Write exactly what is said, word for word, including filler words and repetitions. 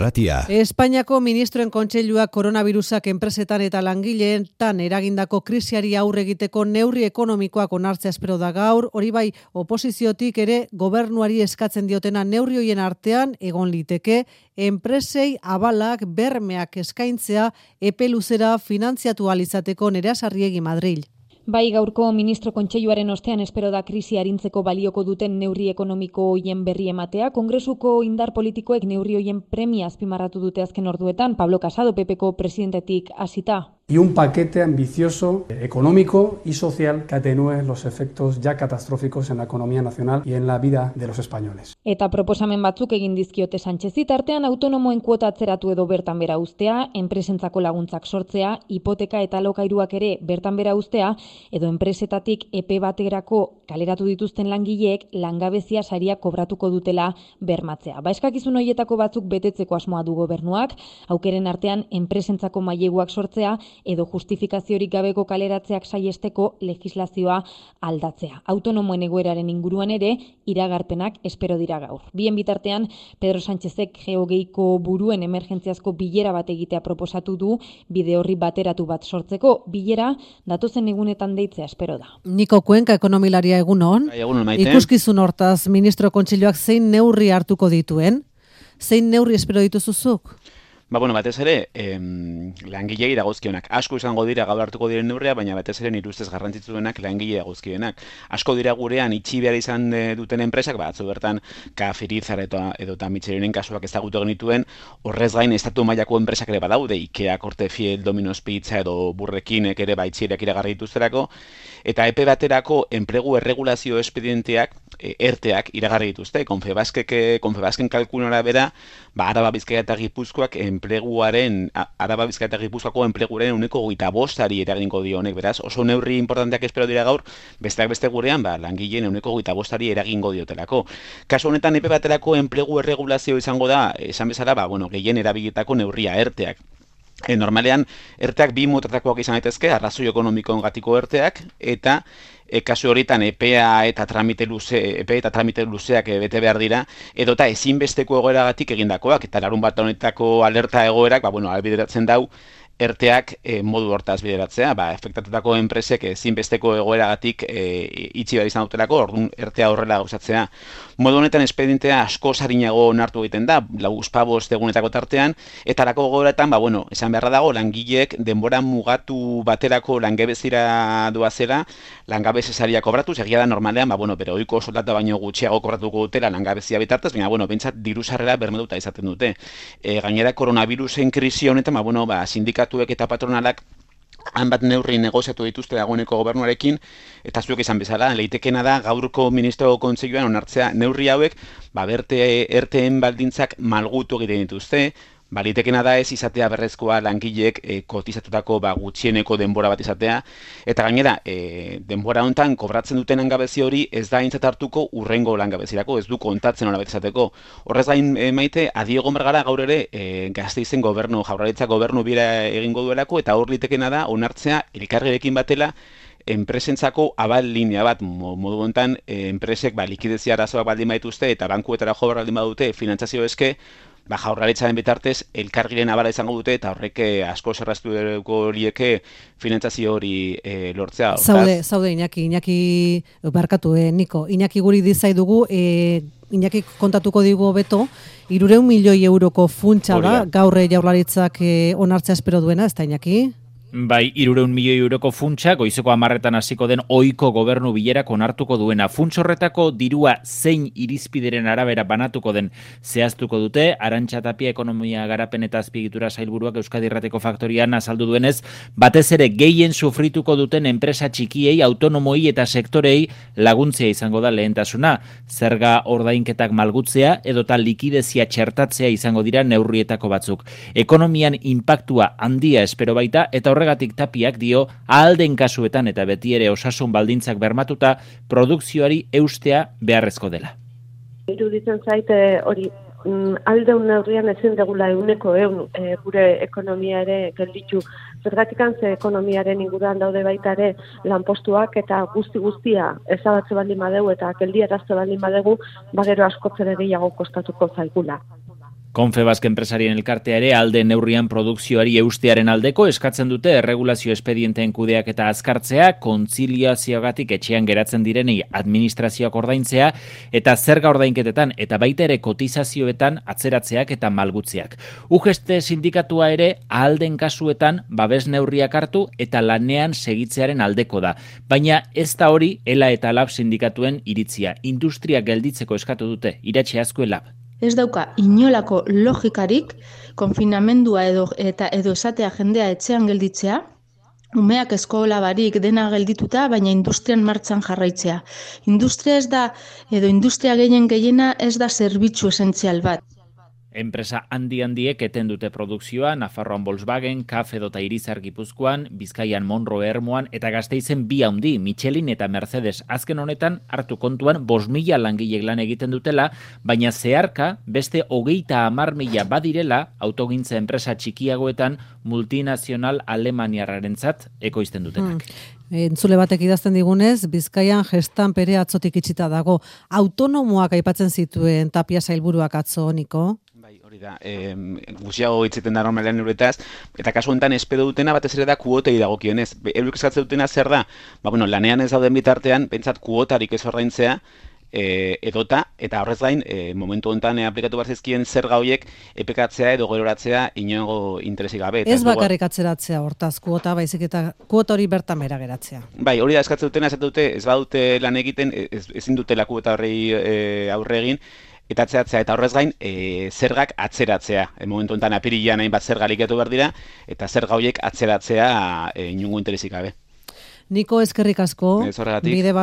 Ratia. Espainiako ministroen kontseiluak koronavirusak enpresetan eta langileetan eragindako krisiari aurre egiteko neurri ekonomikoak onartzea espero da gaur, hori bai oposiziotik ere gobernuari eskatzen diotena neurri hoien artean egon liteke enpresei abalak bermeak eskaintzea epe luzera finantziatu ahal izateko. Nerea Sarriegi, Madril. Bai, gaurko ministro kontseiluaren ostean espero da krisi arintzeko balioko duten neurri ekonomiko hoien berri ematea. Kongresuko indar politikoek neurri hoien premia azpimarratu dute azken orduetan. Pablo Casado, P Pko presidentetik hasita. Y un paquete ambicioso, económico y social que atenúe los efectos ya catastróficos en la economía nacional y en la vida de los españoles. Eta proposamen batzuk egin dizkiote Sánchezi, tartean autonomoen kuota atzeratu edo bertan bera uztea, enpresentzako laguntzak sortzea, hipoteka eta alokairuak ere bertan bera uztea, edo enpresetatik epe baterako kaleratu dituzten langileek langabezia saria kobratuko dutela bermatzea. Ba, eskakizun horietako batzuk betetzeko asmoa du gobernuak, aukeren artean enpresentzako maileguak sortzea, edo justifikaziorik gabeko kaleratzeak saiesteko legislazioa aldatzea. Autonomoen egoeraren inguruan ere iragarpenak espero dira gaur. Bien bitartean, Pedro Sánchezek geogeiko buruen emergentziazko bilera bat egitea proposatu du, bide horri bateratu bat sortzeko. Bilera datozen egunetan deitzea espero da. Niko Kuenka, ekonomilaria, egunon. Egunon, Ikuskizun hortaz ministro kontseiluak zein neurri hartuko dituen? Zein neurri espero dituzuzuk? Ba, bueno, batez ere, em, langilei dagozkionak. Asko izango dira gaur hartuko diren neurria, baina batez ere nire ustez garrantzitsuenak langile dagozkionak. Asko dira gurean itxi behar izan duten enpresak, batzu bertan Kafirizar eta edo eta Michelinen kasuak ezagutu genituen, horrez gain estatu mailako enpresak ere badaude, Ikea, Cortefiel, Domino's Pizza edo Burrekinek ere baitxierak iragarri dituzterako, eta epe baterako enplegu erregulazio espedienteak, e, erteak iragarri dituzte. Confebaskek, Confebasken kalkulora bera, ba, Araba, Bizkaia eta Gipuzkoak enpleguaren, Araba, Bizkaia eta Gipuzkoako enpleguaren uneko hogeita bostari eragingo dio honek, beraz, oso neurri importanteak espero dira gaur, besteak beste gurean, ba, langileen uneko hogeita bostari eragingo diotelako. Kasu honetan epe baterako enplegu erregulazio izango da, esan bezala, ba, bueno, gehien erabilitako neurria erteak. E, normalean, erteak bi motatakoak izan daitezke, arrazoi ekonomikoengatiko erteak, eta e, kasu horietan epea eta tramite luze, epe eta tramite luzeak e, bete behar dira, edota ezinbesteko egoeragatik egindakoak, eta larun bat honetako alerta egoerak, ba, bueno, albideratzen dau, erteak e, modu hortaz bideratzea, ba, efektatutako enpresek ezinbesteko egoeragatik e, itxi behar izan dutelako, orduan ertea horrela gauzatzea. Modu honetan espedientea asko sarinago onartu egiten da, lauzpabost egunetako tartean, eta lako gogoretan, ba, bueno, esan beharra dago, langileek denbora mugatu baterako langabezira doazela, langabezesaria kobratu, segia da normalean, ba, bueno, bere ohiko soldata baino gutxiago kobratuko dutela langabezia bitartez, baina, bueno, bentsat diru sarrera bermeduta izaten dute. E, gainera, koronavirusen krisi honetan, ba, bueno, ba, sindikatuek eta patronalak hanbat neurri negoziatu dituzte dagoeneko gobernuarekin, eta zuek izan bezala, leitekena da gaurko ministro kontseiluan onartzea neurri hauek, ba, berte erteen baldintzak malgutu egiten dituzte, ba, leitekena da ez izatea berrezkoa langileek e, kotizatutako ba, gutxieneko denbora bat izatea, eta gainera, e, denbora honetan kobratzen duten langabezi hori ez da aintzat hartuko urrengo langabezirako, ez du kontatzen hori bat izateko. Horrez gain e, maite, adiegon bergara gaur ere e, Gasteizen gobernu, Jaurlaritza gobernu bira egingo duelako, eta hor leitekena da onartzea elkargirekin batela enpresentzako abal linea bat, modu honetan e, enpresek ba, likidezia arazoak baldin badituzte eta bankuetara jo baldin badute finantzazio eske, ba, Jaurlaritzaren bitartez elkargiren abala izango dute eta horrek asko zerraztu horieke finantzazio hori e, lortzea. Zaude, zaude Iñaki, Iñaki barkatu, eh, Niko, Iñaki guri dizai dugu, eh, Iñaki kontatuko digu beto, hirurehun milioi euroko funtsa da, gaur Jaurlaritzak eh, onartzea espero duena, ez da Iñaki? Bai, hirurehun milioi euroko funtsa, goizeko hamarretan hasiko den ohiko gobernu bilerak onartuko duena. Funts horretako dirua zein irizpideren arabera banatuko den zehaztuko dute. Arantxa Tapia ekonomia garapen eta azpiegitura sailburuak Euskadi Irratiko Faktorian azaldu duenez, batez ere gehien sufrituko duten enpresa txikiei, autonomoi eta sektorei laguntzea izango da lehentasuna. Zerga ordainketak malgutzea edota likidezia txertatzea izango dira neurrietako batzuk. Ekonomian inpaktua handia espero baita, eta horregatik Tapiak dio ahalden kasuetan eta beti ere osasun baldintzak bermatuta produkzioari eustea beharrezko dela. Iruditzen zaite hori aldeun neurrian ezin degula euneko eun e, gure ekonomia ere gelditu. Zergatikan ze ekonomiaren inguruan daude baita ere lanpostuak eta guzti guztia ezabatze baldin badegu eta geldiarazte baldin badegu, bagero askoz ere gehiago kostatuko zaigula. Confebask enpresarien elkartea ere alde neurrian produkzioari eustearen aldeko eskatzen dute erregulazio espedienteen kudeak eta azkartzea, kontziliazioagatik etxean geratzen direnei administrazioak ordaintzea eta zerga ordainketetan eta baita ere kotizazioetan atzeratzeak eta malgutzeak. U G T sindikatua ere ahalden kasuetan babes neurriak hartu eta lanean segitzearen aldeko da. Baina ez da hori ELA eta LAB sindikatuen iritzia. Industria gelditzeko eskatu dute, Iratxe Azkue LAB. Ez dauka inolako logikarik konfinamendua edo eta edo esatea jendea etxean gelditzea, umeak eskola barik dena geldituta, baina industrian martxan jarraitzea. Industria ez da, edo industria gehien gehiena ez da zerbitzu esentzial bat. Enpresa handi-handiek eten dute produkzioa, Nafarroan Volkswagen, C A F edota Irizar Gipuzkoan, Bizkaian Monroe Ermuan eta Gasteizen bi handi, Michelin eta Mercedes. Azken honetan hartu kontuan bost mila langilek lan egiten dutela, baina zeharka beste hogeita hamar mila badirela autogintza enpresa txikiagoetan multinazional alemaniarrarentzat ekoizten dutenak. Hmm. Entzule batek idazten digunez, Bizkaian gestan pere atzotik itxita dago. Autonomoak aipatzen zituen Tapia sailburuak atzo, Niko? Hori da, e, guztiago hitzeten da normalean euretaz, eta kasu honetan espedo dutena batez ere da kuotei dagokionez. Eurek eskatzen dutena zer da? Ba, bueno, lanean ez dauden bitartean, pentsat kuotarik ez ordaintzea, e, edota, eta horrez gain, e, momentu honetan e, aplikatu barzizkien zerga horiek epekatzea edo geroratzea inongo interesik gabe. Ez bakarrik atzeratzea hortaz kuota, baizik eta kuota hori bertan bera geratzea. Bai, hori da eskatzen dutena, ez dute, ez badute lan egiten, ez, ezin dutela kuota horrei e, aurre egin, eta atzeratzea, eta horrez gain, e, zergak atzeratzea. E, momentu enten apirilean hainbat zerga likatu behar dira, eta zerga horiek atzeratzea e, inongo interesik gabe. Niko, eskerrik asko. Ez horregatik. Bide